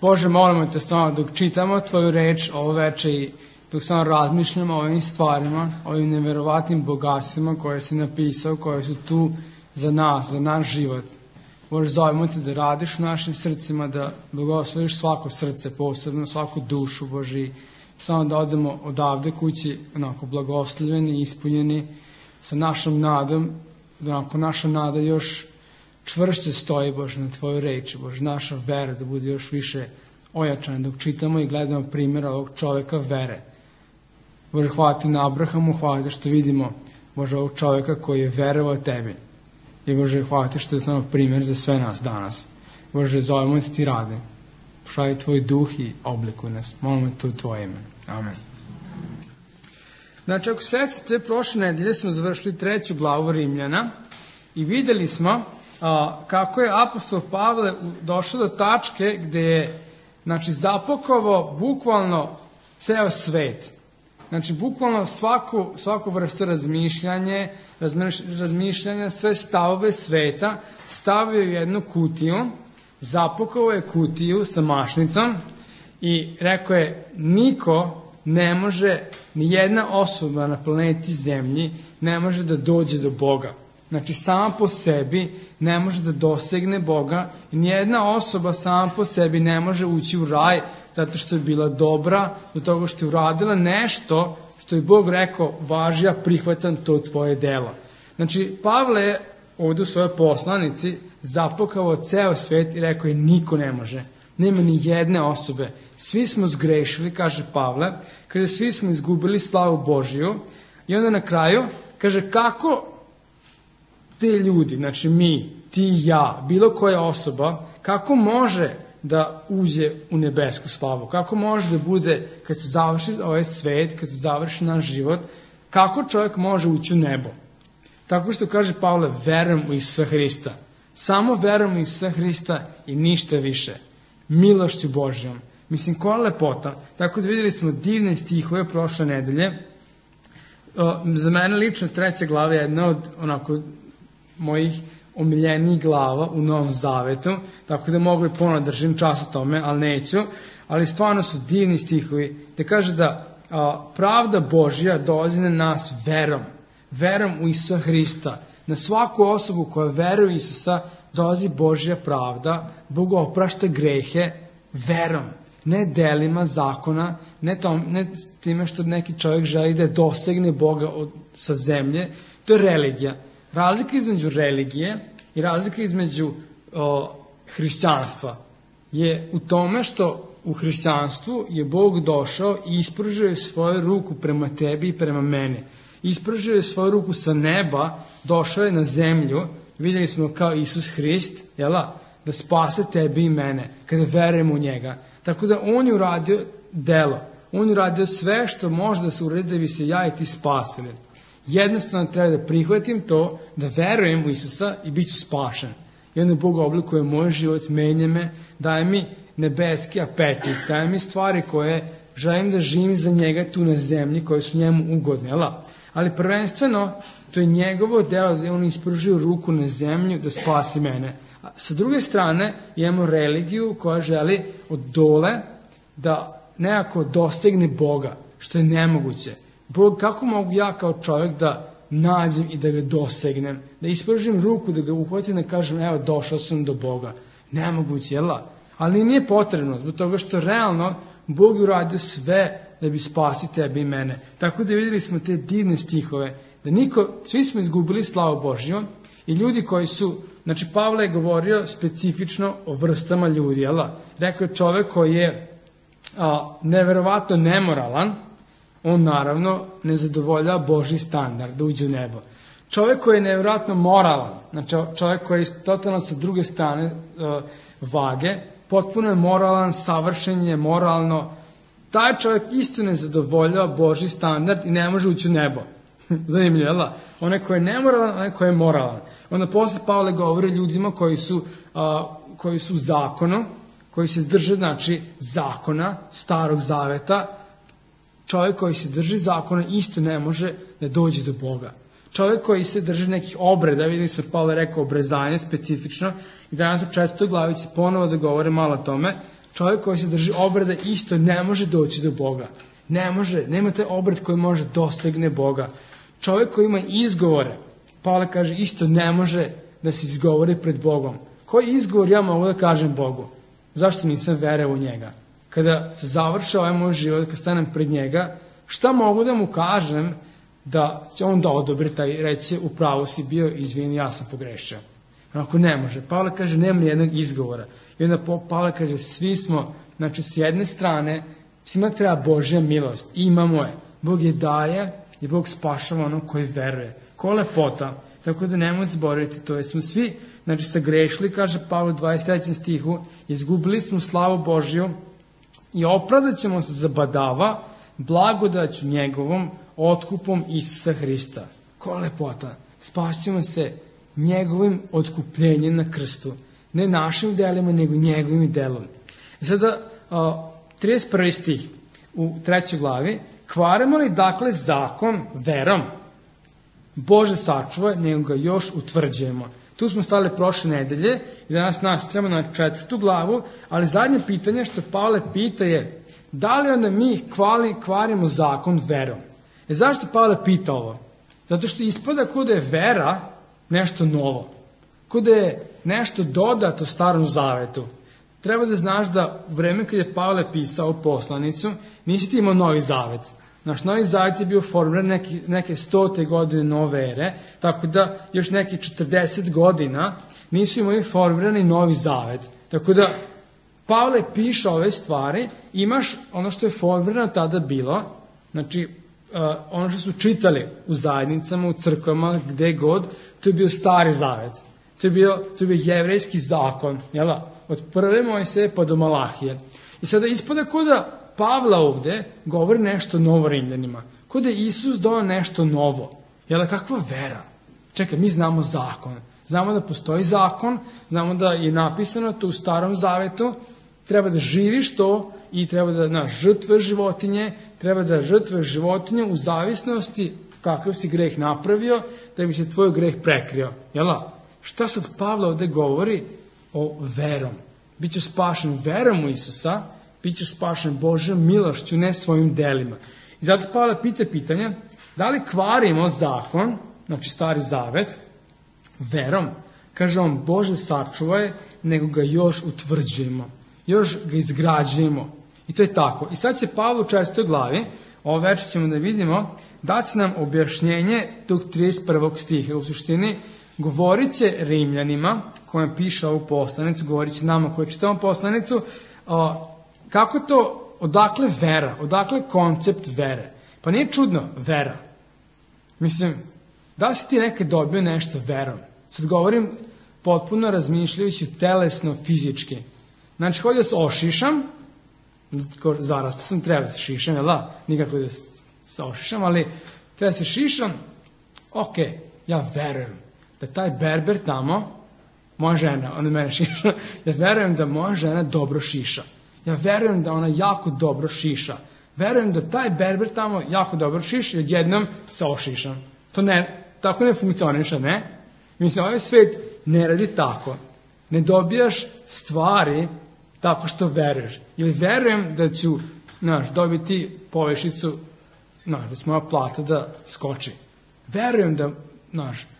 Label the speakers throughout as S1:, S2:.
S1: Bože, molimo te samo dok čitamo tvoju reč ovo veče i dok samo razmišljamo o ovim stvarima, o ovim neverovatnim bogatstvima koje si napisao, koje su tu za nas, za naš život. Bože, zovemo te da radiš u našim srcima, da blagosloviš svako srce posebno, svaku dušu, Bože, i samo da odemo odavde kući onako blagoslovljeni, ispunjeni sa našom nadom, da onako naša nada još čvršće stoji, Bože, na tvojoj reči, Bože, naša vera da bude još više ojačana dok čitamo i gledamo primjera ovog čoveka vere. Bože, hvala ti na Abrahamu, hvala ti što vidimo, Bože, ovog čoveka koji je verovao tebi. I Bože, hvala ti što je samo primjer za sve nas danas. Bože, zovemo ti rade. Pošalji tvoj duh i oblikuj nas. Molimo te u tvoje ime. Amen. Znači, ako sećate, prošle nedelje smo završili 3. glavu Rimljana i videli smo kako je apostol Pavle došao do tačke gde je, znači, zapakovao bukvalno ceo svet. Znači, bukvalno svaku vrstu razmišljanja, sve stavove sveta stavio u jednu kutiju, zapakovao je kutiju sa mašnicom i rekao je, niko ne može, ni jedna osoba na planeti Zemlji ne može da dođe do Boga. Znači, sama po sebi ne može da dosegne Boga i nijedna osoba sama po sebi ne može ući u raj zato što je bila dobra, do toga što je uradila nešto što je Bog rekao, važi, ja prihvatam to tvoje delo. Znači, Pavle je ovdje u svojoj poslanici zapakao ceo svet i rekao je, niko ne može. Nema ni jedne osobe. Svi smo zgrešili, kaže Pavle, kaže, svi smo izgubili slavu Božiju i onda na kraju kaže, kako te ljudi, znači mi, ti i ja, bilo koja osoba, kako može da uđe u nebesku slavu? Kako može da bude, kad se završi ovaj svet, kad se završi naš život, kako čovjek može ući u nebo? Tako što kaže Pavle, verujem u Isusa Hrista. Samo verujem u Isusa Hrista i ništa više. Milošću Božjom. Mislim, koja lepota. Tako da vidjeli smo divne stihove prošle nedelje. Za mene lično 3. glava je jedna od onako mojih omiljenijih glava u Novom Zavetu, tako da mogu i ponovno držim čas o tome, ali neću. Ali stvarno su divni stihovi, da kaže da pravda Božja dolazi na nas verom u Isusa Hrista. Na svaku osobu koja veruje u Isusa dolazi Božja pravda, Bog oprašta grehe verom, ne delima zakona, ne time što neki čovjek želi da dosegne Boga sa zemlje. To je religija. Razlika između religije i razlika između hrišćanstva je u tome što u hrišćanstvu je Bog došao i ispružio je svoju ruku prema tebi i prema meni. Ispružio je svoju ruku sa neba, došao je na zemlju, vidjeli smo kao Isus Hrist, da spase tebi i mene, kada verujemo u njega. Tako da on je uradio delo, on je uradio sve što može da se uradi da bi se ja i ti spasili. Jednostavno treba da prihvatim to, da verujem u Isusa i bit ću spašen. I onda Bog oblikuje moj život, menja me, daje mi nebeski apetit, daje mi stvari koje želim da živim za njega tu na zemlji, koje su njemu ugodne. Ali prvenstveno, to je njegovo delo da on ispružio ruku na zemlju da spasi mene. A sa druge strane, imamo religiju koja želi od dole da nekako dosegne Boga, što je nemoguće. Bog, kako mogu ja kao čovjek da nađem i da ga dosegnem, da ispružim ruku, da ga uhvatim i da kažem, evo, došao sam do Boga. Nemoguće, ali nije potrebno, zbog toga što realno Bog je uradio sve da bi spasi tebe i mene. Tako da vidjeli smo te divne stihove, da svi smo izgubili slavu Božju i ljudi koji su, znači Pavle je govorio specifično o vrstama ljudi, rekao je čovjek koji je neverovatno nemoralan, on naravno ne zadovoljava Božji standard da uđe u nebo. Čovjek koji je nevjerojatno moralan, znači čovjek koji je totalno sa druge strane vage, potpuno je moralan, savršen je moralno, taj čovjek isto ne zadovoljava Božji standard i ne može ući u nebo. Zanimljivo, onaj koji je nemoralan, onaj koji je moralan. Onda posle Pavle govori ljudima koji su u zakonu, koji se drže, znači, zakona, starog zaveta. Čovjek koji se drži zakona isto ne može da dođe do Boga. Čovjek koji se drži nekih obreda, vidim se Pavle rekao obrezanje specifično, i danas u 4. glavici ponovo da govore malo o tome, čovjek koji se drži obreda isto ne može doći do Boga. Ne može, nema taj obred koji može dosegne Boga. Čovjek koji ima izgovore, Pavle kaže, isto ne može da se izgovori pred Bogom. Koji izgovor ja mogu da kažem Bogu? Zašto nisam verovao u njega? Kada se završi ovaj moj život, kad stanem pred njega, šta mogu da mu kažem da će on da odobri taj, reći, u pravu si bio, izvini, ja sam pogrešio. Ako ne može. Pavle kaže, nema nijednog izgovora. I onda Pavle kaže, svi smo, znači s jedne strane, svima treba Božja milost. I imamo je. Bog je daje i Bog spašava onog koji veruje. Ko lepota. Tako da nemoj zaboraviti to. Jer smo svi, znači, sagrešili, kaže Pavle u 23. stihu, izgubili smo slavu Božju i opravdat ćemo se zabadava blagodaću njegovom otkupom Isusa Hrista. Ko lepota. Spašćemo se njegovim otkupljenjem na krstu. Ne našim delima, nego njegovim delom. I sada, 31. stih u 3. glavi, kvaremo li dakle zakon verom? Bože sačuvaj, nego ga još utvrđujemo. Tu smo stali prošle nedelje i danas nastavljamo na 4. glavu, ali zadnje pitanje što Pavle pita je, da li onda mi kvarimo zakon verom? Zašto Pavle pita ovo? Zato što ispada kod je vera nešto novo. Kod je nešto dodato Starom zavetu. Treba da znaš da u vreme kad je Pavle pisao poslanicu, nisi ti imao Novi zavet. Naš Novi zavet je bio formiran neke 100. godine nove ere, tako da još neki 40 godina nisu imali formirani Novi zavet. Tako da Pavle piše ove stvari, imaš ono što je formirano tada bilo, znači ono što su čitali u zajednicama, u crkvama, gde god, to je bio Stari zavet. To je bio jevrejski zakon, jel? Od prve Mojsije pa do Malahije. I sada ispada kod da Pavla ovde govori nešto novo Rimljanima. Kod da Isus donao nešto novo. Jel, kakva vera? Čekaj, mi znamo zakon. Znamo da postoji zakon, znamo da je napisano to u Starom zavetu, treba da živiš to i treba da žrtvuješ životinje, treba da žrtvuješ životinje u zavisnosti kakav si greh napravio, da bi se tvoj greh prekrio. Jel? Šta sad Pavle ovde govori o verom? Bićeš spašen verom u Isusa, bićeš spašen Božjom milošću, ne svojim delima. I zato Pavle pita pitanje, da li kvarimo zakon, znači Stari zavet, verom? Kaže on, Bože sačuvaj, nego ga još utvrđujemo, još ga izgrađujemo. I to je tako. I sad će Pavle u 4. glavi, ovo večer ćemo da vidimo, daći nam objašnjenje tog 31. stiha. U suštini, govorit će Rimljanima, kojem piše ovu poslanicu, govorit će nama koji čitamo poslanicu, kako to, odakle vera, odakle koncept vere. Pa nije čudno vera. Mislim, da li si ti nekad dobio nešto verom? Sad govorim potpuno razmišljajući telesno, fizički. Znači, hoću da se ošišam, zarasta sam, treba da se šišam, jel da? Nikako da se ošišam, ali treba da se šišam, ok, ja verujem da taj berber tamo, moja žena, ona mene šiša, ja verujem da moja žena dobro šiša. Ja verujem da ona jako dobro šiša. Verujem da taj berber tamo jako dobro šiša i odjednom se ošišam. To ne, tako ne funkcioniša, ne? Mislim, ovaj svet ne radi tako. Ne dobijaš stvari tako što veruješ. Ili verujem da ću, dobiti povišicu, da će moja plata da skoči. Verujem da,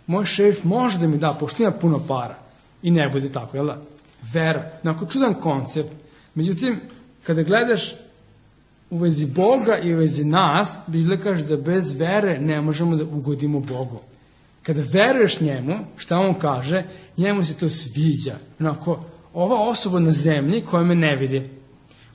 S1: moj šef može da mi da, pošto ima puno para. I ne bude tako, jel da? Vera. Onako čudan koncept. Međutim, kada gledaš u vezi Boga i u vezi nas, Biblija kaže da bez vere ne možemo da ugodimo Bogu. Kada veruješ njemu, šta on kaže, njemu se to sviđa. Onako, ova osoba na zemlji koja me ne vidi,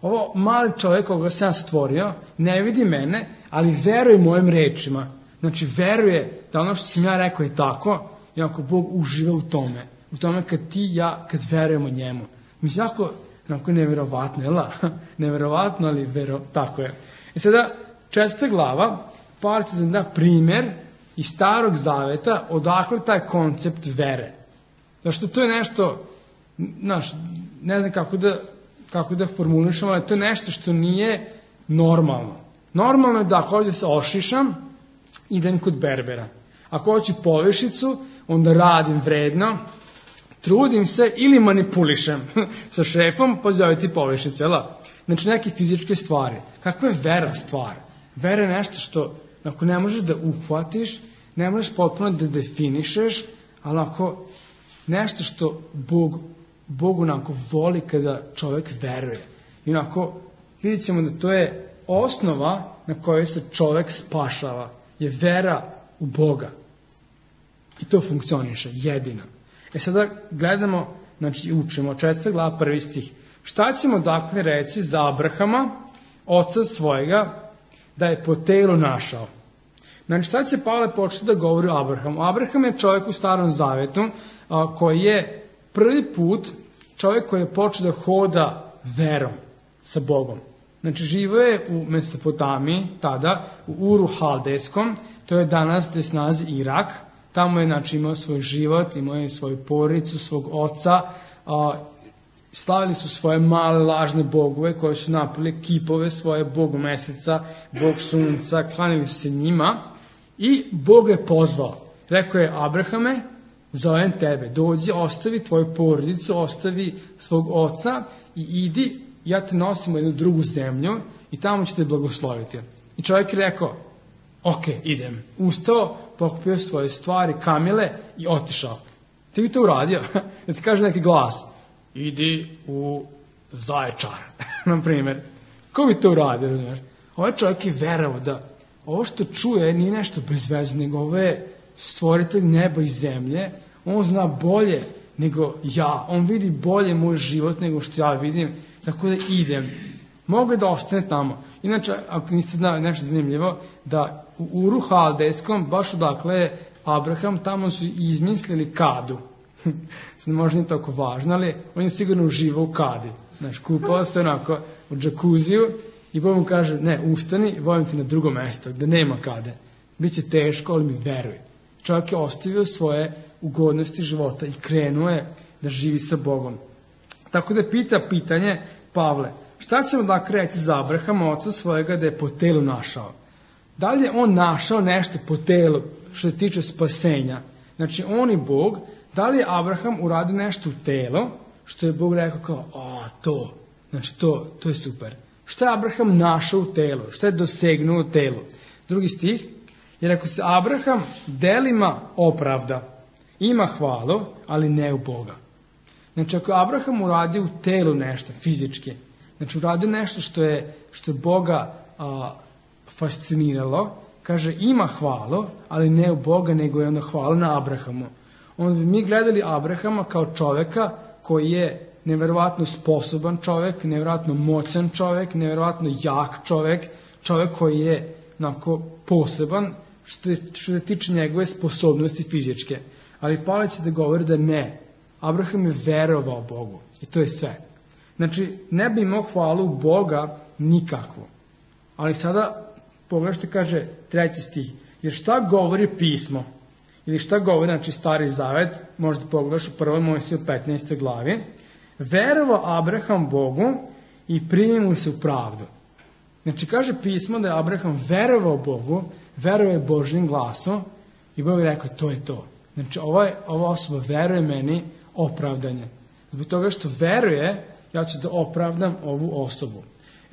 S1: ovo mali čovjek koga sam stvorio, ne vidi mene, ali veruje mojim rečima. Znači, veruje da ono što sam ja rekao je tako, i onako Bog uživa u tome. U tome kad ti i ja, kad verujemo njemu. Mislim, onako nevjerovatno, jel da? Nevjerovatno, ali tako je. I sada, 4. glava, Pavle će da primjer iz Starog zaveta odakle taj koncept vere. Zašto to je nešto, ne znam kako da formulišem, ali to je nešto što nije normalno. Normalno je da ako ovdje se ošišam, idem kod berbera. Ako hoću povišicu, onda radim vredno, trudim se ili manipulišem sa šefom, pa zove ti povišice, jel? Znači neke fizičke stvari. Kakva je vera stvar? Vera je nešto što ako ne možeš da uhvatiš, ne možeš potpuno da definišeš, ali ako nešto što Bog onako voli kada čovjek veruje. I onako vidjet ćemo da to je osnova na kojoj se čovjek spašava. Je vera u Boga. I to funkcioniše, jedino. Sada gledamo, znači učimo, 4. glava 1. stih. Šta ćemo dakle reći za Abrahama, oca svojega, da je po telu našao? Znači sad će Pavle početi da govori o Abrahamu. Abraham je čovjek u Starom Zavetu koji je prvi put čovjek koji je počeo da hoda verom sa Bogom. Znači živo je u Mesopotamiji tada, u Uru Haldejskom, to je danas gde se nalazi Irak. Tamo je znači imao svoj život, imao je svoju porodicu, svog oca, slavili su svoje male lažne bogove koje su napravili kipove svoje, Bog meseca, Bog sunca, klanjali su se njima i Bog je pozvao. Rekao je: Abrahame, zovem tebe, dođi, ostavi tvoju porodicu, ostavi svog oca i idi, ja te nosim u jednu drugu zemlju i tamo ću te blagosloviti. I čovjek je rekao: ok, idem. Ustao, pokupio svoje stvari, kamile i otišao. Ti bi to uradio? Da ti kaže neki glas: idi u Zaječar, na primjer. Ko bi to uradio, razumiješ? Ovaj čovjek je verovao da ovo što čuje nije nešto bez veze, nego ovo je stvoritelj neba i zemlje. On zna bolje nego ja. On vidi bolje moj život nego što ja vidim. Tako da idem. Mogu je da ostane tamo. Inače, ako niste znali nešto zanimljivo, da u Uru Haldejskom, baš odakle je Abraham, tamo su izmislili kadu. Možda nije toliko važno, ali on je sigurno uživao u kadi. Znaš, kupao se onako u džakuziju i Bog mu kaže: ne, ustani, volim ti na drugo mesto, gde nema kade. Biće teško, ali mi veruj. Čovjek je ostavio svoje ugodnosti života i krenuo je da živi sa Bogom. Tako da pita pitanje Pavle: šta ćemo dakle reći za Abrahama, oca svojega, da je po telu našao? Da li je on našao nešto po telu što se tiče spasenja? Znači, on i Bog, da li je Abraham uradio nešto u telo, što je Bog rekao kao: to, znači to je super. Šta je Abraham našao u telu? Šta je dosegnuo u telu? Drugi stih, jer ako se Abraham delima opravda, ima hvalu, ali ne u Boga. Znači, ako Abraham uradio u telu nešto fizički, znači uradio nešto što je Boga fasciniralo, kaže ima hvalu, ali ne u Boga, nego je onda hvala na Abrahamu. Onda bi mi gledali Abrahama kao čoveka koji je nevjerovatno sposoban čovek, nevjerovatno moćan čovek, nevjerovatno jak čovek, čovek koji je onako poseban što se tiče njegove sposobnosti fizičke. Ali Pavle će da govori da ne. Abraham je verovao Bogu i to je sve. Znači, ne bi imao hvalu Boga nikakvu. Ali sada pogledajte, kaže 3. stih. Jer šta govori pismo? Ili šta govori, znači, Stari Zavet, možda pogledaš u 1. Mojsiju 15. glavi. Verovao Abraham Bogu i primio mu se u pravdu. Znači, kaže pismo da je Abraham verovao Bogu, verovao Božjim glasom i Bog je rekao: to je to. Znači, ova osoba veruje meni, opravdanje. Zbog toga što veruje, ja ću da opravdam ovu osobu.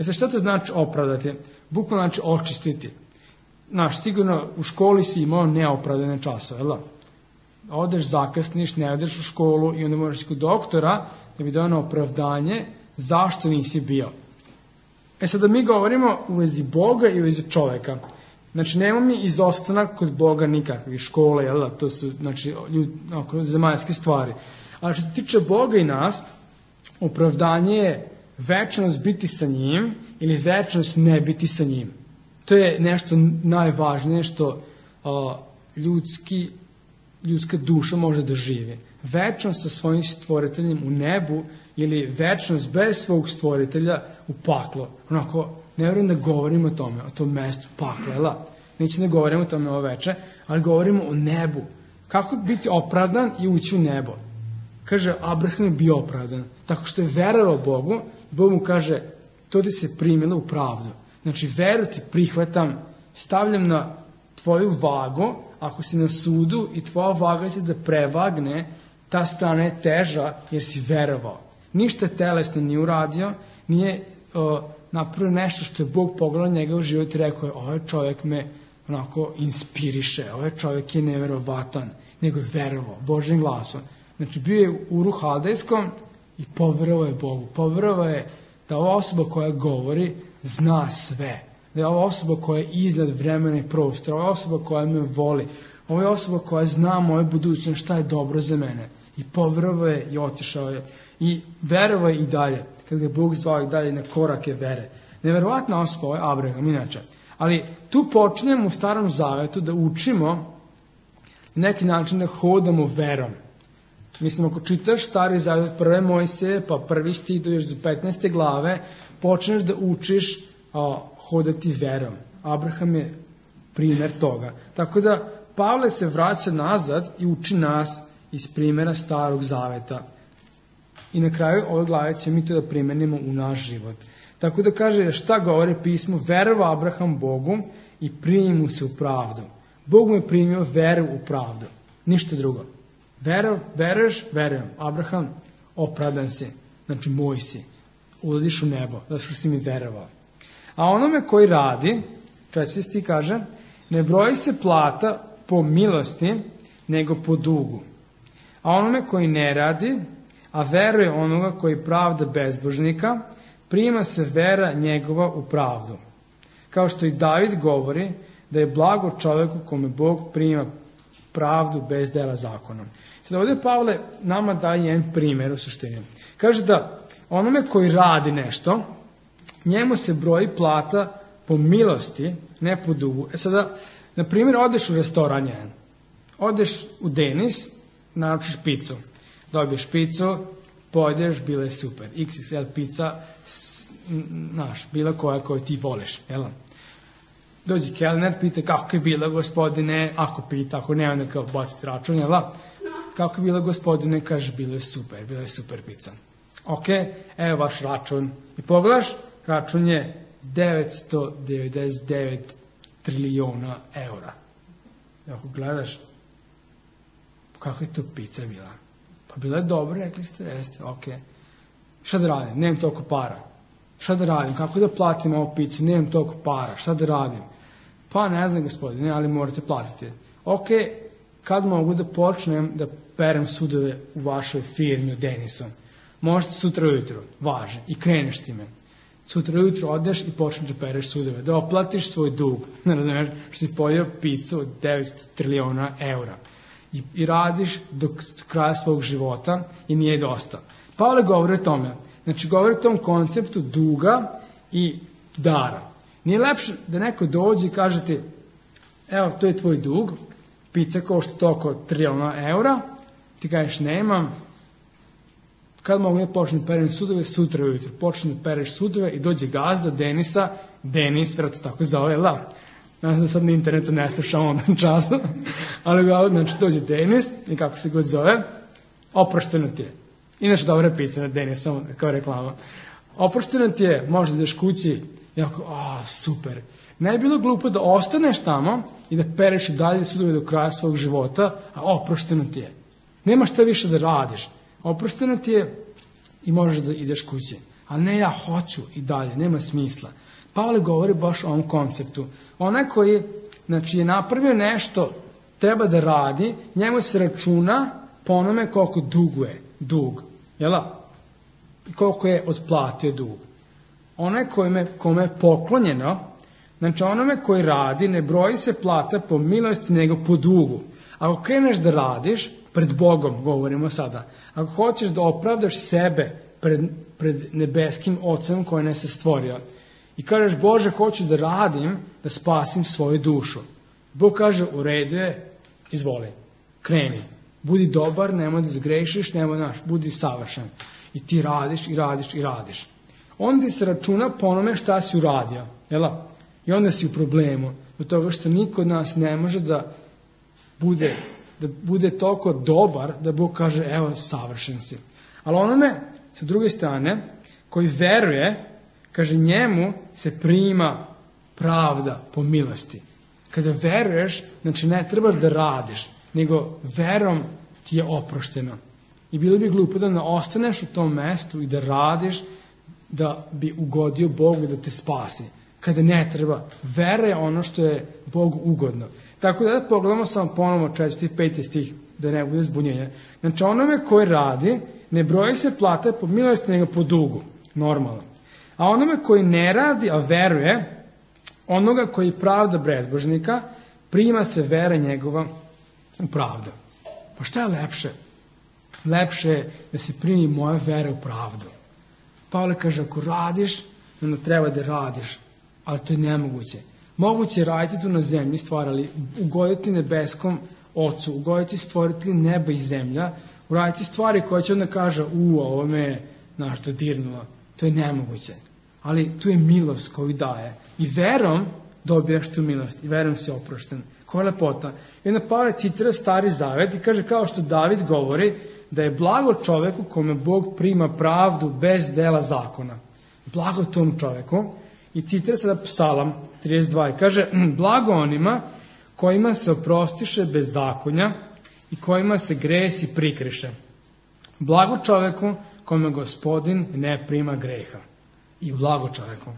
S1: Sad šta to znači opravdati? Bukvalno znači očistiti. Znaš, sigurno u školi si imao neopravdane časove, jel da? Odeš, zakasniš, ne odeš u školu i onda moraš kod doktora da bi dao opravdanje zašto nisi bio. Sada mi govorimo u vezi Boga i u vezi čoveka. Znači, nema mi izostanak kod Boga nikakvih škole, jel da? To su, znači, zemaljske stvari. Ali što se tiče Boga i nas, opravdanje je večnost biti sa njim ili večnost ne biti sa njim. To je nešto najvažnije što ljudska duša može da živi. Večnost sa svojim stvoriteljem u nebu ili večnost bez svog stvoritelja u paklo. Onako, ne vjerujem da govorimo o tome, o tom mestu pakla, jel? Neće da govorimo o tome ovo veče, ali govorimo o nebu. Kako biti opravdan i ući u nebo? Kaže, Abraham je bio opravdan. Tako što je verovao Bogu, Bog mu kaže: to ti se primilo u pravdu. Znači, veru ti prihvatam, stavljam na tvoju vagu, ako si na sudu i tvoja vaga će da prevagne ta strana je teža jer si verovao. Ništa telesno nije uradio, nije napravio nešto što je Bog pogledao njega u život i rekao je, ovaj čovjek me onako inspiriše, ovaj čovjek je neverovatan, nego je verovao Božjim glasom. Znači bio je u Uru Haldejskom i poverovao je Bogu. Poverovao je da ova osoba koja govori zna sve. Da je ova osoba koja je iznad vremena i prostora, ova osoba koja me voli, ova osoba koja zna moju budućnost, šta je dobro za mene. I poverovao je i otišao je. I verovao je i dalje, kad ga je Bog zvao i dalje na korake vere. Neverovatna osoba je Abraham, inače. Ali tu počinjemo u Starom Zavetu da učimo na neki način da hodamo verom. Mislim, ako čitaš Stari Zavet, prve Mojsije, pa prvi stih do još do 15. glave, počneš da učiš hodati verom. Abraham je primjer toga. Tako da Pavle se vraća nazad i uči nas iz primjera Starog Zaveta. I na kraju ove glave ćemo mi to da primenimo u naš život. Tako da kaže šta govori pismo, verovao Abraham Bogu i primi mu se u pravdu. Bog mu je primio veru u pravdu. Ništa drugo. Veruješ? Verujem. Abraham, opravdan si. Znači moj si. Ulaziš u nebo, zato što si mi verovao. A onome koji radi, 4. stih kaže, ne broji se plata po milosti, nego po dugu. A onome koji ne radi, a veruje onoga koji pravda bezbožnika, prima se vera njegova u pravdu. Kao što i David govori da je blago čovjeku kome Bog prima pravdu bez dela zakonom. Sada ovdje Pavle nama daje jedan primjer u suštini. Kaže da onome koji radi nešto, njemu se broji plata po milosti, ne po dugu. Sada, na primjer, odeš u restoran jedan. Odeš u Denis, naručiš picu. Dobiješ picu, pojedeš, bila je super. XXL pizza, znaš, bila koja koju ti voliš, jel? Dođi kelner, pita kako je bila gospodine, ako pita, ako ne, onda kao baciti račun, jel? Kako je bila gospodine, kaže, bila je super pizza. Ok, evo vaš račun. I pogledaš, račun je 999 trilijona eura. Ako gledaš, kako je to pizza bila? Pa bila je dobro, rekli ste, jeste, ok. Šta da radim? Nemam toliko para. Šta da radim? Kako da platim ovu picu? Nemam toliko para. Šta da radim? Pa ne znam, gospodine, ali morate platiti. Ok, kad mogu da počnem da perem sudove u vašoj firmi u Denisu? Možete sutra ujutro, važi, i kreneš time. Sutra ujutro odeš i počneš da pereš sudove, da oplatiš svoj dug. Ne razumiješ, što si pojeo picu od 900 trilijona eura. I radiš do kraja svog života i nije dosta. Pavle govori o tome. Znači, govori o tom konceptu duga i dara. Nije lepše da neko dođe i kaže ti, evo, to je tvoj dug, pizza košta toliko trilijona eura, ti kažeš, nemam, kad mogu da počnem da perem sudove, sutra ujutro. Počnem da pereš sudove i dođe gazda Denisa, Denis, vjerojatno se tako zove, Znam da sad na internetu ne slušam onda času, ali znači dođe Denis i kako se god zove, oprošteno ti je. Inače dobra pizza na Denis, samo kao reklama. Oprošteno ti je, možeš da ideš kući, jako, super. Ne je bilo glupo da ostaneš tamo i da pereš i dalje sudove do kraja svog života, a oprošteno ti je. Nema šta više da radiš. Oprošteno ti je i možeš da ideš kući. Ali ne, ja hoću i dalje, nema smisla. Pavle govori baš o ovom konceptu. Onaj koji je napravio nešto, treba da radi, njemu se računa po onome koliko duguje dug. Jela? Koliko je otplatio dug. Onaj kome je poklonjeno, znači onome koji radi, ne broji se plata po milosti nego po dugu. Ako kreneš da radiš, pred Bogom govorimo sada, ako hoćeš da opravdaš sebe pred nebeskim Ocem koji nas je stvorio, i kažeš, Bože, hoću da radim, da spasim svoju dušu. Bog kaže, u redu je, izvoli, kreni. Budi dobar, nemoj da zgrešiš, budi savršen. I ti radiš, i radiš, i radiš. Onda ti se računa po onome šta si uradio. Jela? I onda si u problemu. Do toga što niko od nas ne može da bude toliko dobar, da Bog kaže, evo, savršen si. Ali onome, sa druge strane, koji veruje, kaže, njemu se prima pravda po milosti. Kada veruješ, znači ne trebaš da radiš, nego verom ti je oprošteno. I bilo bi glupo da ne ostaneš u tom mestu i da radiš da bi ugodio Bogu da te spasi. Kada ne treba, vera je ono što je Bogu ugodno. Tako da pogledamo samo ponovo 4. i 5. stih, da ne bude zbunjenja. Znači onome koji radi, ne broji se plata po milosti, nego po dugu, normalno. A onome koji ne radi, a veruje, onoga koji pravda bezbožnika, prima se vera njegova u pravdu. Pa šta je lepše? Lepše je da se primi moja vera u pravdu. Pavle kaže, ako radiš, onda treba da radiš, ali to je nemoguće. Moguće je raditi tu na zemlji stvari, ali ugoditi nebeskom Ocu, ugoditi stvoriti neba i zemlja, uraditi stvari koje će onda kaže, ovo me je nešto dirnulo. To je nemoguće. Ali tu je milost koju daje. I verom dobijaš tu milost. I verom si oprošten. Koja je lepota. I onda Pavle citira Stari Zavet i kaže kao što David govori da je blago čoveku kome Bog prima pravdu bez dela zakona. Blago tom čoveku. I citira sada Psalam 32 i kaže blago onima kojima se oprostiše bezakonja i kojima se gresi prikriše. Blago čoveku kome Gospodin ne prima greha. I blago čoveku.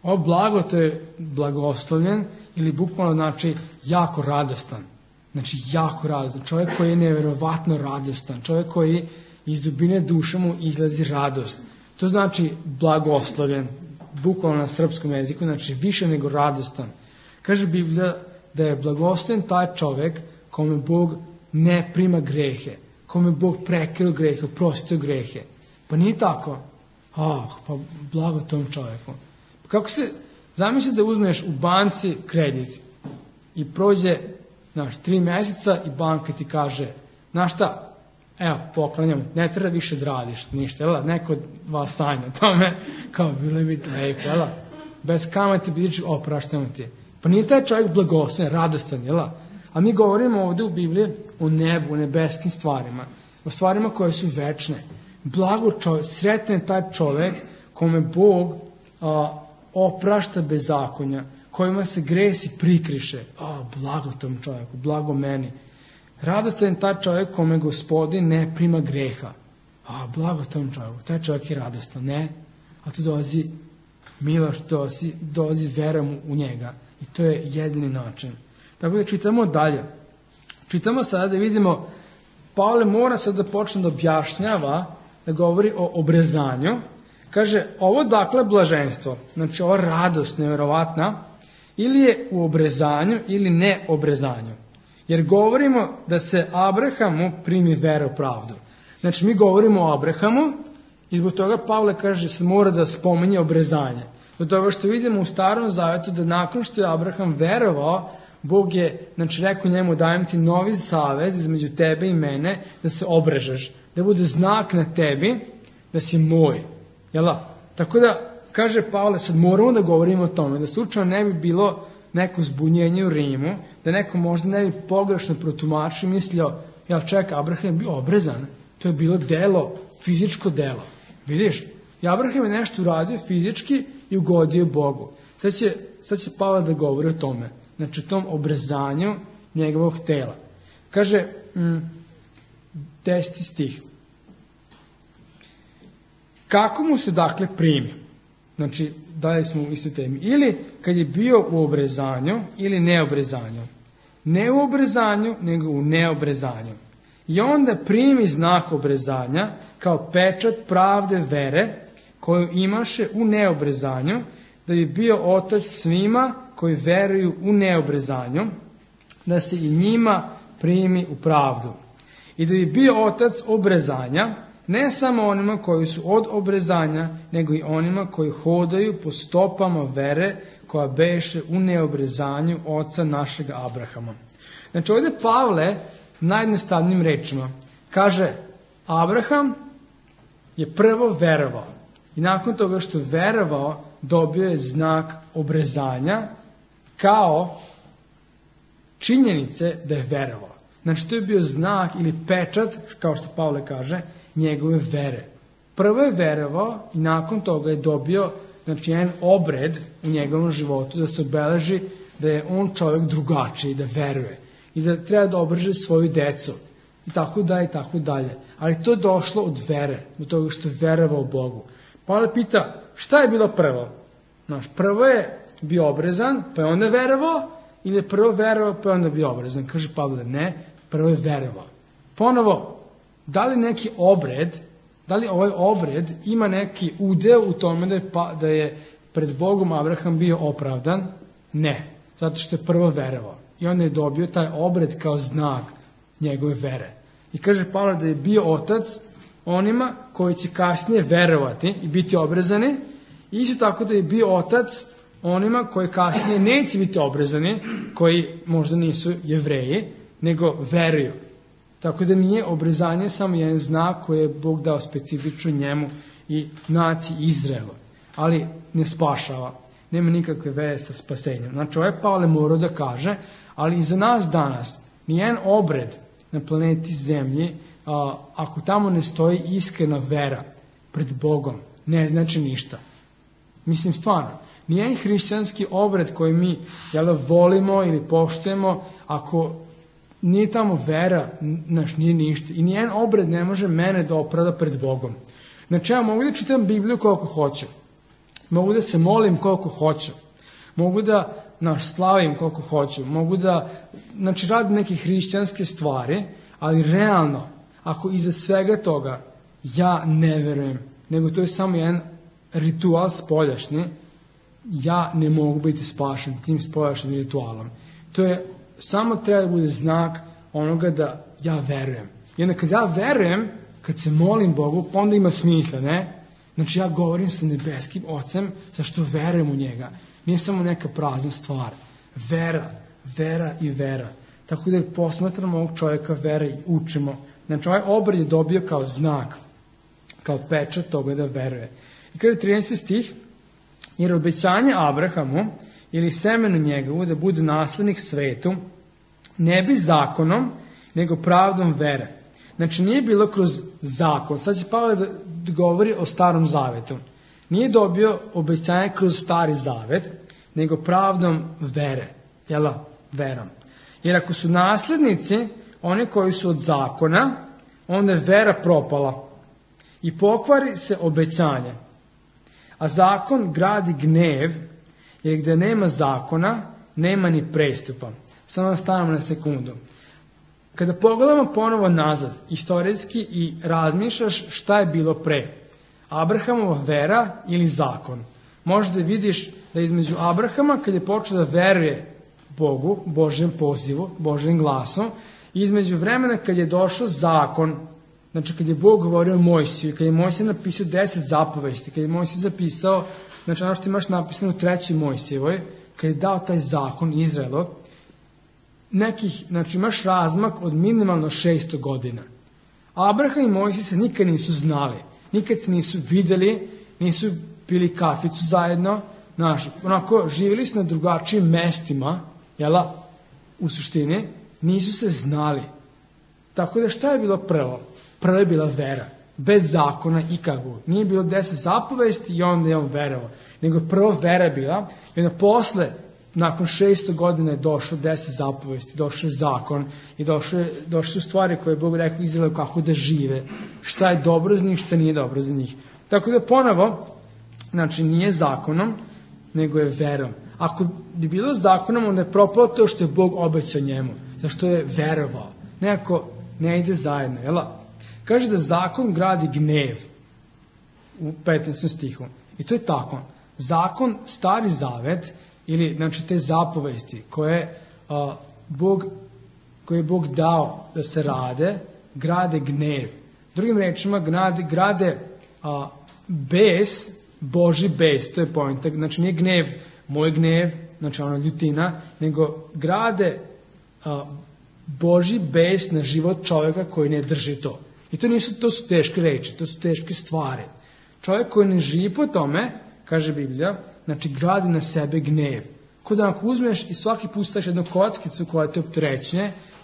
S1: Ovo blago to je blagoslovljen ili bukvalno znači jako radostan. Znači jako radostan. Čovjek koji je nevjerovatno radostan. Čovjek koji iz dubine duše mu izlazi radost. To znači blagoslovljen. Bukvalno na srpskom jeziku. Znači više nego radostan. Kaže Biblija da je blagoslovljen taj čovjek kome Bog ne prima grehe. Kome Bog prekinuo grehe, oprostio grehe. Pa nije tako. Pa blago tom čovjeku. Kako se, zamisli da uzmeš u banci kredit i prođe 3 mjeseca i banka ti kaže, znaš šta, evo, poklanjam, ne treba više da radiš ništa, jel? Neko od vas sanja o tome, kao bilo bi to lepo, jel? Bez kamate bići opraštamo ti. Pa nije taj čovjek blagosloven, radostan, jel? A mi govorimo ovdje u Bibliji o nebu, o nebeskim stvarima, o stvarima koje su večne. Blago čovjek, sretan je taj čovjek kome Bog oprašta bezakonja, kojima se gresi prikriše. Blago tom čovjeku, blago meni. Radostan je taj čovjek kome Gospodin ne prima greha. Blago tom čovjeku, taj čovjek je radostan, ne? A tu dolazi milost, dolazi verom u njega. I to je jedini način. Tako da čitamo dalje. Čitamo sada da vidimo, Pavle mora sad da počne da objašnjava, da govori o obrezanju. Kaže, ovo dakle blaženstvo, znači ova radost nevjerovatna, ili je u obrezanju ili ne obrezanju. Jer govorimo da se Abrahamu primi vera u pravdu. Znači mi govorimo o Abrahamu i zbog toga Pavle kaže se mora da spominje obrezanje. Zbog toga što vidimo u Starom Zavetu da nakon što je Abraham verovao, Bog je, znači rekao njemu dajem ti novi savez između tebe i mene da se obrežeš, da bude znak na tebi da si moj. Jela? Tako da, kaže Pavle, sad moramo da govorimo o tome, da slučajno ne bi bilo neko zbunjenje u Rimu, da neko možda ne bi pogrešno protumačio i mislio, Abraham je bio obrezan, to je bilo delo, fizičko delo. Vidiš? I Abraham je nešto uradio fizički i ugodio Bogu. Sad će Pavle da govori o tome, znači o tom obrezanju njegovog tela. Kaže, 10. stih. Kako mu se dakle primi? Znači, dalje smo u istoj temi. Ili kad je bio u obrezanju ili neobrezanju. Ne u obrezanju, nego u neobrezanju. I onda primi znak obrezanja kao pečat pravde vere koju imaše u neobrezanju, da bi bio otac svima koji veruju u neobrezanju, da se i njima primi u pravdu. I da bi bio otac obrezanja, ne samo onima koji su od obrezanja, nego i onima koji hodaju po stopama vere koja beše u neobrezanju oca našeg Abrahama. Znači ovdje Pavle najjednostavnijim rečima kaže Abraham je prvo verovao i nakon toga što je verovao dobio je znak obrezanja kao činjenice da je verovao. Znači to je bio znak ili pečat, kao što Pavle kaže, njegove vere. Prvo je verovao i nakon toga je dobio jedan obred u njegovom životu da se obeleži da je on čovjek drugačiji, da veruje i da treba da obreže svoju decu. i tako dalje, i tako dalje. Ali to je došlo od vere, od toga što je verovao Bogu. Pavle pita, šta je bilo prvo? Prvo je bio obrezan, pa je onda verovao, ili je prvo verovao, pa je onda bio obrezan? Kaže Pavle, ne, prvo je verovao. Ponovo, da li neki obred, da li ovaj obred ima neki udeo u tome da je pred Bogom Abraham bio opravdan? Ne, zato što je prvo verovao. I onda je dobio taj obred kao znak njegove vere. I kaže Pavle da je bio otac onima koji će kasnije verovati i biti obrezani. I isto tako da je bio otac onima koji kasnije neće biti obrezani, koji možda nisu Jevreji, nego veruju. Tako da nije obrezanje samo jedan znak koji je Bog dao specifično njemu i naciji Izraela. Ali ne spašava. Nema nikakve veze sa spasenjem. Znači, ovaj Pavle morao da kaže, ali i za nas danas, nijedan obred na planeti Zemlji, ako tamo ne stoji iskrena vera pred Bogom, ne znači ništa. Mislim, stvarno, nijedan hrišćanski obred koji mi volimo ili poštujemo, ako nije tamo vera, nije ništa. I nijedan obred ne može mene da opravda pred Bogom. Znači, ja mogu da čitam Bibliju koliko hoću. Mogu da se molim koliko hoću. Mogu da slavim koliko hoću. Mogu da radim neke hrišćanske stvari, ali realno, ako iza svega toga ja ne verujem, nego to je samo jedan ritual spoljašnji, ja ne mogu biti spašen tim spoljašnjim ritualom. To je, samo treba da bude znak onoga da ja verujem. I onda kad ja verujem, kad se molim Bogu, pa onda ima smisla, ne? Znači ja govorim sa nebeskim Ocem zašto verujem u njega. Nije samo neka prazna stvar. Vera, vera i vera. Tako da posmatramo ovog čovjeka vere i učimo. Znači ovaj obred je dobio kao znak, kao pečat toga da veruje. I kada je 13. stih, jer obećanje Abrahamu ili semenu njegovu da bude naslednik svetu, ne bi zakonom, nego pravdom vere. Znači nije bilo kroz zakon. Sad će Pavle da govori o starom zavetu. Nije dobio obećanje kroz stari zavet, nego pravdom vere. Jela? Verom. Jer ako su naslednici, oni koji su od zakona, onda je vera propala. I pokvari se obećanje. A zakon gradi gnev, jer gdje nema zakona, nema ni prestupa. Samo stanemo na sekundu. Kada pogledamo ponovo nazad, istorijski, i razmišljaš šta je bilo pre, Abrahamova vera ili zakon, možda vidiš da između Abrahama, kad je počeo da veruje Bogu, Božjem pozivu, Božjem glasu, i između vremena kad je došao zakon, znači kad je Bog govorio Mojsiju, kad je Mojsij napisao 10 zapovesti, kad je Mojsij zapisao, znači ono što imaš napisano u 3. Mojsijevoj, kad je dao taj zakon Izraelu, znači imaš razmak od minimalno 600 godina. Abraham i Mojsij se nikad nisu znali, nikad se nisu videli, nisu pili kaficu zajedno, onako živjeli su na drugačijim mestima, jela, u suštini, nisu se znali. Tako da šta je bilo prvo? Prvo je bila vera, bez zakona ikakvog. Nije bilo 10 zapovesti i onda je on verovao, nego prvo vera je bila, i onda posle, nakon 600 godina je došlo 10 zapovesti, došao je zakon i došle su stvari koje je Bog rekao Izraelu kako da žive, šta je dobro za njih, šta nije dobro za njih. Tako da ponovo, znači nije zakonom, nego je verom. Ako bi bilo zakonom, onda je propalo to što je Bog obećao njemu, zašto je verovao. Nekako ne ide zajedno, jel? Kaže da zakon gradi gnev u 15. stihu. I to je tako. Zakon, stari zavet, ili znači te zapovesti koje je Bog dao da se rade, grade gnev. Drugim rečima, grade bes, Božji bes, to je poenta. Znači nije gnev, moj gnev, znači ona ljutina, nego grade Božji bes na život čovjeka koji ne drži to. I to su teške reči, to su teške stvari. Čovjek koji ne živi po tome, kaže Biblija, znači gradi na sebe gnev. Ko da ako uzmeš i svaki put staviš jednu kockicu koja te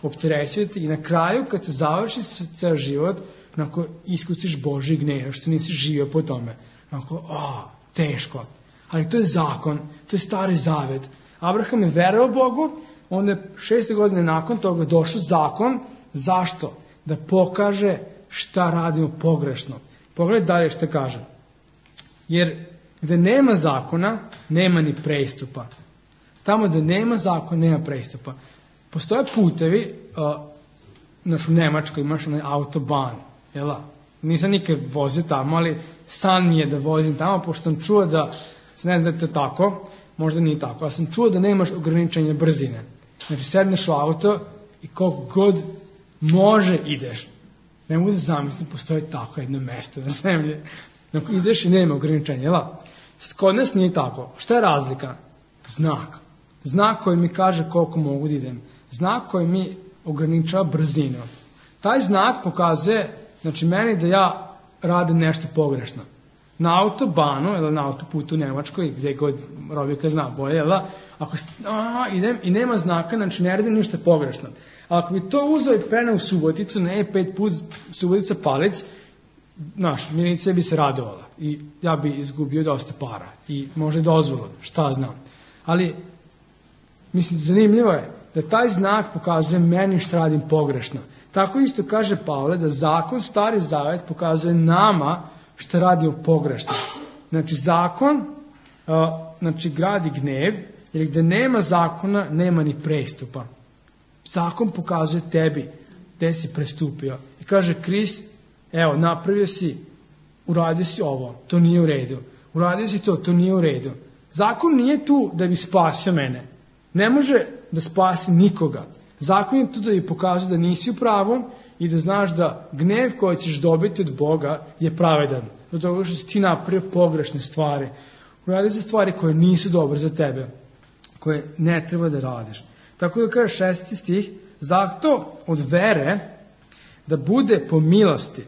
S1: opterećuje te, i na kraju kad se završi ceo život, onako iskuciš Božji gnev, što nisi živio po tome. Onako, teško. Ali to je zakon, to je stari zavet. Abraham je verovao Bogu, onda je 600 godine nakon toga došao zakon. Zašto? da pokaže šta radimo pogrešno. Pogledaj dalje šta kaže. Jer gde nema zakona, nema ni prestupa. Tamo gde nema zakona, nema prestupa. Postoje putevi, u Nemačkoj imaš onaj autobahn, jela? Nisam nikad vozio tamo, ali san mi je da vozim tamo, pošto sam čuo da, ne znam da je to tako, možda nije tako, ali sam čuo da nemaš ograničenja brzine. Znači, sedneš u auto i koliko god može ideš. Ne mogu da zamislim, postoji tako jedno mesto na zemlji. Dakle, ideš i nema ograničenja, jela? Kod nas nije tako. Šta je razlika? Znak. Znak koji mi kaže koliko mogu da idem. Znak koji mi ograničava brzinu. Taj znak pokazuje, znači meni da ja radim nešto pogrešno. Na autobanu, ili na autoputu u Nemačkoj, gde god Robika zna bolje, ako idem i nema znaka, znači ne radim ništa pogrešno. A ako bi to uzeo i preneo u Suboticu, ne 5 put Subotica Palić, milicija bi se radovala i ja bi izgubio dosta para i možda dozvolu, šta znam. Ali, mislim, zanimljivo je da taj znak pokazuje meni šta radim pogrešno. Tako isto kaže Pavle da zakon, Stari Zavet, pokazuje nama šta radimo pogrešno. Znači, zakon gradi gnev, jer gde nema zakona, nema ni prestupa. Zakon pokazuje tebi gde si prestupio. I kaže, Kris, evo, napravio si, uradio si ovo, to nije u redu. Uradio si to nije u redu. Zakon nije tu da bi spasio mene. Ne može da spasi nikoga. Zakon je tu da bi pokazuje da nisi u pravu i da znaš da gnev koji ćeš dobiti od Boga je pravedan. Do toga što si ti napravio pogrešne stvari. Uradio si stvari koje nisu dobre za tebe, koje ne treba da radiš. Tako da kaže 6. stih, zato od vere da bude po milosti,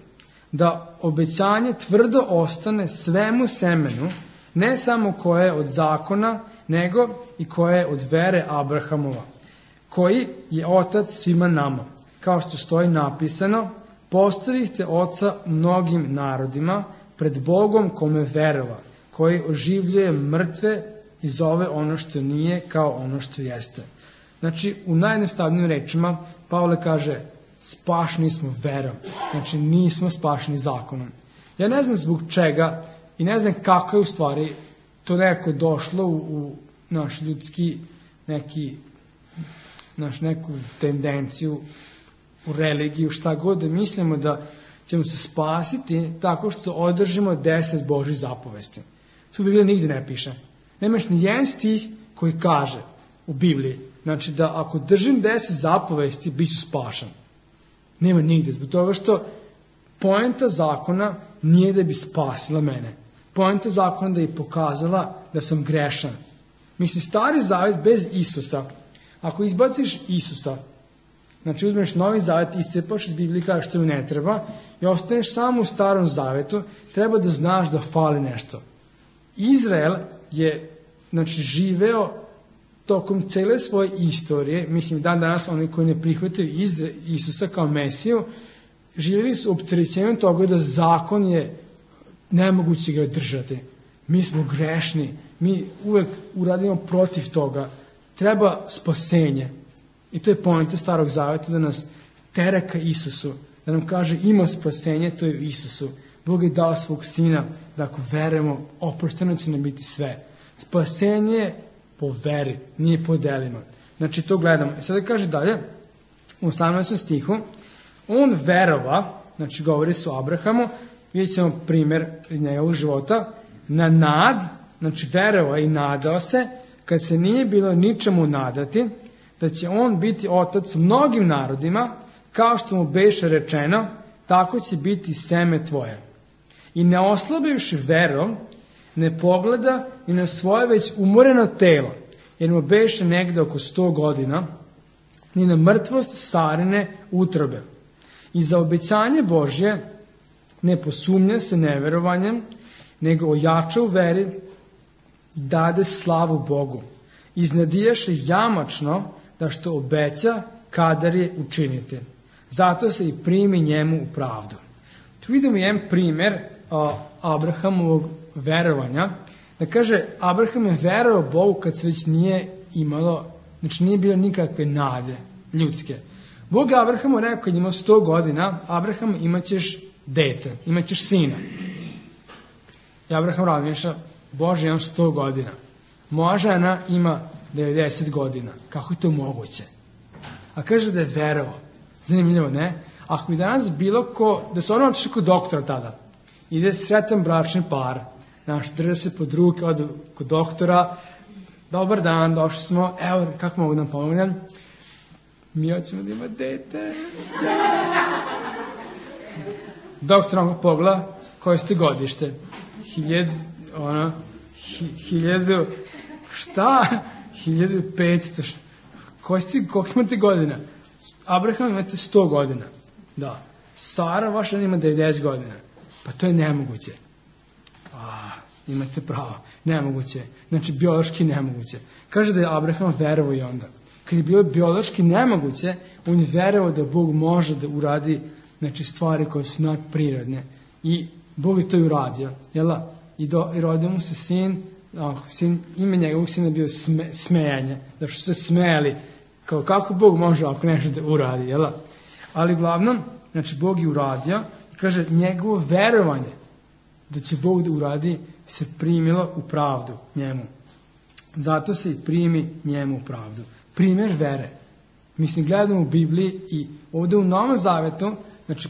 S1: da obećanje tvrdo ostane svemu semenu, ne samo koje je od zakona, nego i koje je od vere Abrahamova, koji je otac svima nama. Kao što stoji napisano, postavite oca mnogim narodima pred Bogom kome verova, koji oživljuje mrtve i zove ono što nije kao ono što jeste. Znači, u najjednostavnijim rečima, Pavle kaže, spašeni smo verom. Znači, nismo spašeni zakonom. Ja ne znam zbog čega i ne znam kako je u stvari to nekako došlo u naš ljudski neku tendenciju u religiju, šta god, da mislimo da ćemo se spasiti tako što održimo 10 Božjih zapovesti. To u Bibliji nigde ne piše. Nemaš ni jedan stih koji kaže u Bibliji, znači da ako držim 10 zapovesti, bit ću spašan. Nema nigde, zbog toga što poenta zakona nije da bi spasila mene. Poenta zakona da bi pokazala da sam grešan. Mislim, Stari Zavet bez Isusa, ako izbaciš Isusa, znači uzmeš Novi Zavet, iscepaš iz Biblije, kažeš što mi ne treba i ostaneš samo u Starom Zavetu, treba da znaš da fali nešto. Izrael je, znači, živeo tokom cele svoje istorije, mislim dan danas oni koji ne prihvataju Isusa kao Mesiju, živjeli su opterećenjem toga da zakon je nemoguće ga održati. Mi smo grešni, mi uvek uradimo protiv toga. Treba spasenje. I to je poenta Starog Zaveta, da nas tera ka Isusu, da nam kaže ima spasenje, to je u Isusu. Bog je dao svog sina da ako verujemo, oprošteno će nam biti sve. Spasenje po veri, nije po delima. Znači to gledamo. I sada kaže dalje, u 18. stihu, on verova, znači govori se o Abrahamu, vidjet ćemo primjer iz njegovog života, na nad, znači verova i nadao se, kad se nije bilo ničemu nadati, da će on biti otac mnogim narodima, kao što mu beše rečeno, tako će biti seme tvoje. I ne oslabivši verom, ne pogleda i na svoje već umoreno telo, jer mu beše negde oko 100 godina, ni na mrtvost Sarine utrobe. I za obećanje Božje ne posumnja se neverovanjem, nego ojača u veri i dade slavu Bogu. Iznadijaše jamačno da što obeća, kadar je učiniti. Zato se i primi njemu u pravdu. Tu vidimo jedan primjer Abrahamovog verovanja. Da kaže, Abraham je verovao Bogu kad se već nije imalo, znači nije bilo nikakve nade ljudske. Bog Abrahamu rekao kad imao 100 godina, Abraham imaćeš dete, imaćeš sina. I Abraham razmišlja, Bože, imam 100 godina. Moja žena ima 90 godina. Kako je to moguće? A kaže da je verovao. Zanimljivo, ne? Ako bi danas bilo ko, da su ono otišli kod doktora tada, ide sretan bračni par, drže se pod ruke, odu kod doktora, dobar dan, došli smo, evo, kako mogu da nam pomognem? Mi hoćemo da ima dete. Doktor vam pogleda, koje ste godište? 1500, šta? 1500, koliko imate godina? Abraham imate 100 godina. Da. Sara, vaša ima 90 godina. Pa to je nemoguće. Imate pravo. Nemoguće. Znači, biološki nemoguće. Kaže da je Abraham verovao i onda. Kad je bilo biološki nemoguće, on je verovao da Bog može da uradi stvari koje su nadprirodne. I Bog je to i uradio. Jela? I rodio mu se sin, ime njegovog sina je bio smejanje. Da su se smejali. Kako Bog može ako nešto da uradi, jela? Ali uglavnom, Bog je uradio i kaže, njegovo verovanje da će Bog da uradi se primilo u pravdu njemu. Zato se i primi njemu u pravdu. Primjer vere. Mislim, gledamo u Bibliji i ovdje u Novom Zavetu,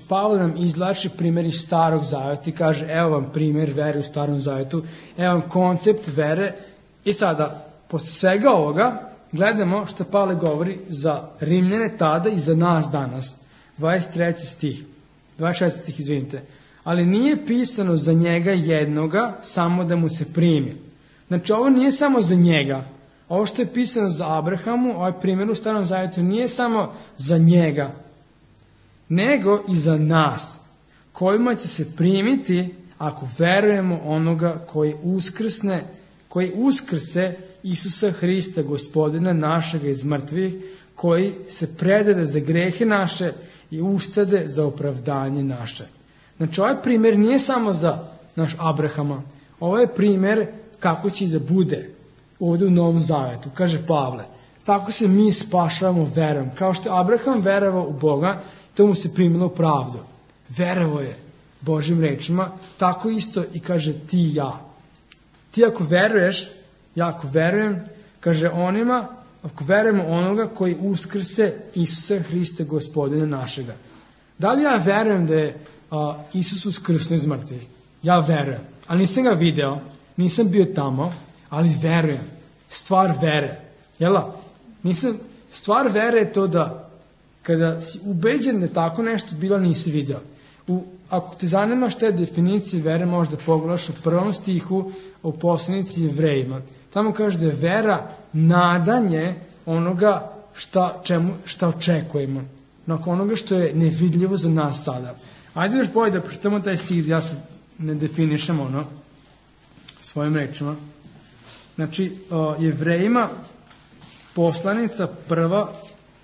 S1: Pavle nam izvlači primjer iz Starog Zaveta i kaže, evo vam primjer vere u Starom Zavetu, evo vam koncept vere. I sada, posle svega ovoga, gledamo što Pavle govori za Rimljane tada i za nas danas. 24. stih, izvinite. Ali nije pisano za njega jednoga, samo da mu se primi. Ovo nije samo za njega. Ovo što je pisano za Abrahamu, ovaj primjer u Starom Zavetu, nije samo za njega, nego i za nas, kojima će se primiti ako verujemo onoga koji uskrse Isusa Hrista, Gospodina našega iz mrtvih, koji se predade za grehe naše i ustade za opravdanje naše. Ovaj primjer nije samo za naš Abrahama, ovo je primjer kako će da bude ovdje u Novom Zavetu, kaže Pavle. Tako se mi spašavamo verom. Kao što je Abraham verovao u Boga, to mu se primilo u pravdu. Verovao je Božim rečima, tako isto i kaže ti i ja. Ti ako veruješ, ja ako verujem, kaže onima, ako verujemo onoga koji uskrse Isusa Hrista, Gospodina našega. Da li ja verujem da je Isus uskrsnuo iz mrtvih? Ja verujem, ali nisam ga video, nisam bio tamo, ali verujem. Stvar vere. Jela? Stvar vere je to da kada si ubeđen da tako nešto bilo, nisi video. Ako te zanima šta je definicija vere, možda pogledaš u 1. stihu u poslanici Jevrejima. Tamo kaže da je vera nadanje onoga šta očekujemo. Nakon onoga što je nevidljivo za nas sada. Ajde još bolje da pročitamo taj stih, ja se ne definišem svojim rečima. Jevrejima, poslanica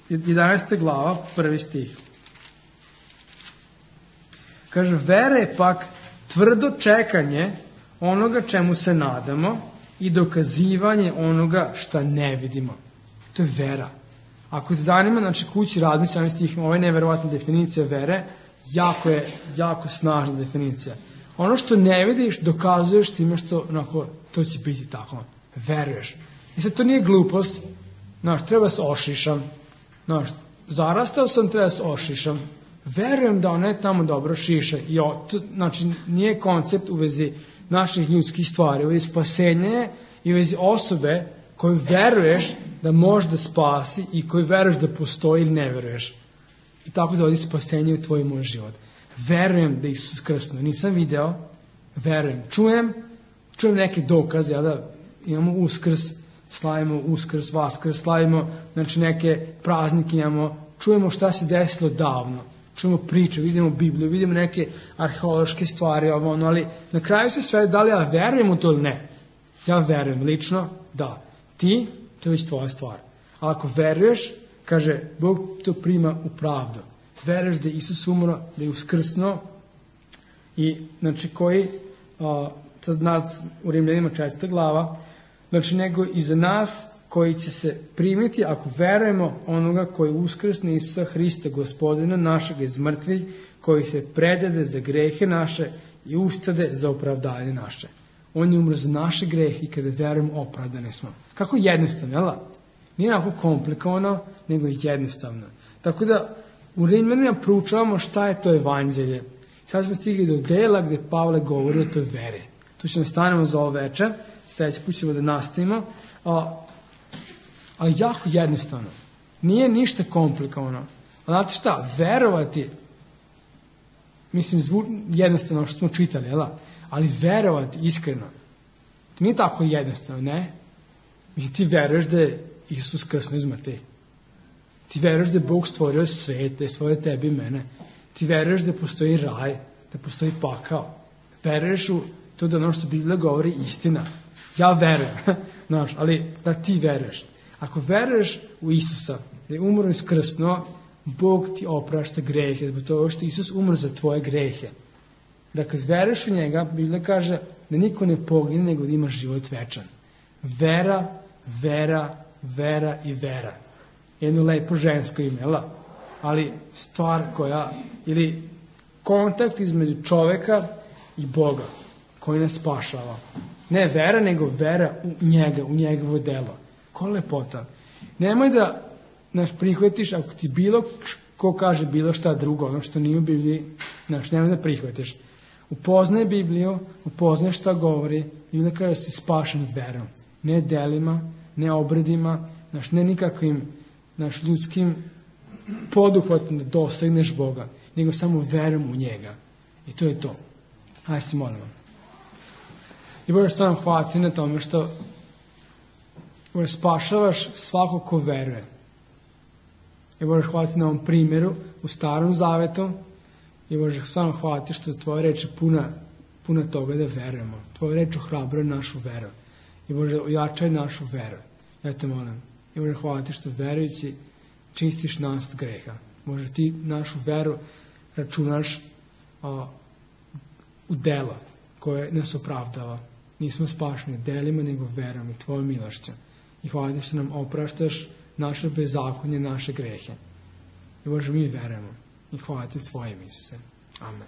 S1: 11. glava, 1. stih. Kaže, vera je pak tvrdo čekanje onoga čemu se nadamo i dokazivanje onoga šta ne vidimo. To je vera. Ako se zanima, kući razmisli ovim stihima, ovo je neverovatna definicija vere, jako snažna definicija. Ono što ne vidiš, dokazuješ time što, to će biti tako. Veruješ. I sad to nije glupost, treba se ošišam. Zarastao sam, treba se ošišam. Verujem da ona je tamo dobro šiša. Nije koncept u vezi naših ljudskih stvari, u vezi spasenja i u vezi osobe koju veruješ da može da spasi i koju veruješ da postoji ili ne veruješ. I tako dolazi spasenje u tvoj i moj život. Verujem da Isus krsnuo. Nisam video, verujem. Čujem neke dokaze, da imamo Uskrs, slavimo Uskrs, Vaskrs, slavimo neke praznike imamo, čujemo šta se desilo davno. Čujemo priče, vidimo Bibliju, vidimo neke arheološke stvari, ali na kraju se sve, da li ja verujem u to ili ne? Ja verujem lično, da. Ti, to je već tvoja stvar. Ali ako veruješ, kaže, Bog to prima u pravdu. Veruješ da je Isus umro, da je uskrsnuo i, koji, sad nas u Rimljanima 4. glava, nego i za nas koji će se primiti ako verujemo onoga koji uskrsne Isusa Hrista, Gospodina našeg iz mrtvih, koji se predade za grehe naše i ustade za opravdanje naše. On je umro za naše grehe i kada verujemo opravdane smo. Kako jednostavno, jel? Nije onako komplikovano, nego jednostavno. Tako da u Rimljanima proučavamo šta je to evanđelje. Sad smo stigli do dela gde Pavle govori o toj vere. Tu ćemo stanemo za ovo večer, sljedeći put ćemo da nastavimo, ali jako jednostavno. Nije ništa komplikovano. Znate šta, verovati, mislim jednostavno što smo čitali, jel? Ali verovati iskreno, to nije tako jednostavno, ne? Mislim, ti veruješ da je Isus krsno iz mrtvih. Ti veruješ da je Bog stvorio svet, da je stvorio tebi i mene. Ti veruješ da postoji raj, da postoji pakao. Veruješ u to da ono što Biblija govori istina. Ja verujem, znaš, ali da ti veruješ. Ako veruješ u Isusa, da je umro iskrsno, Bog ti oprašta grehe, zbog toga što Isus umro za tvoje grehe. Dakle, veruješ u njega, Biblija kaže da niko ne pogine, nego da ima život večan. Vera, vera, vera i vera. Jedno lepo žensko ime, ali stvar koja, ili kontakt između čoveka i Boga, koji nas spašava. Ne vera, nego vera u njega, u njegovo delo. Ko lepota. Nemoj da prihvatiš, ako ti bilo ko kaže bilo šta drugo, ono što nije u Bibliji, nemoj da prihvatiš. Upoznaj Bibliju, upoznaj šta govori, Biblija kaže da si spašen verom. Ne delima, ne obredima, ne nikakvim ljudskim poduhvatom da dosegneš Boga, nego samo verom u njega. I to je to. Ajde se molimo. I Bože, što nam hvati na tome što Bože, spašavaš svako ko veruje. I Bože, hvati na ovom primjeru u Starom Zavetu. I Bože, što nam hvati što tvoja reč je puna toga da verujemo. Tvoja reč ohrabruje našu veru. I Bože, ojačaj našu veru. Ja te molim. I Bože, hvati što verujući čistiš nas od greha. Bože, ti našu veru računaš u dela koje nas opravdava. Nismo spašeni delima, nego verom i tvojom milošću. I hvala što nam opraštaš naše bezakonje, naše grehe. I Bože, mi verujemo. I hvala ti u tvojim, Isuse. Amen.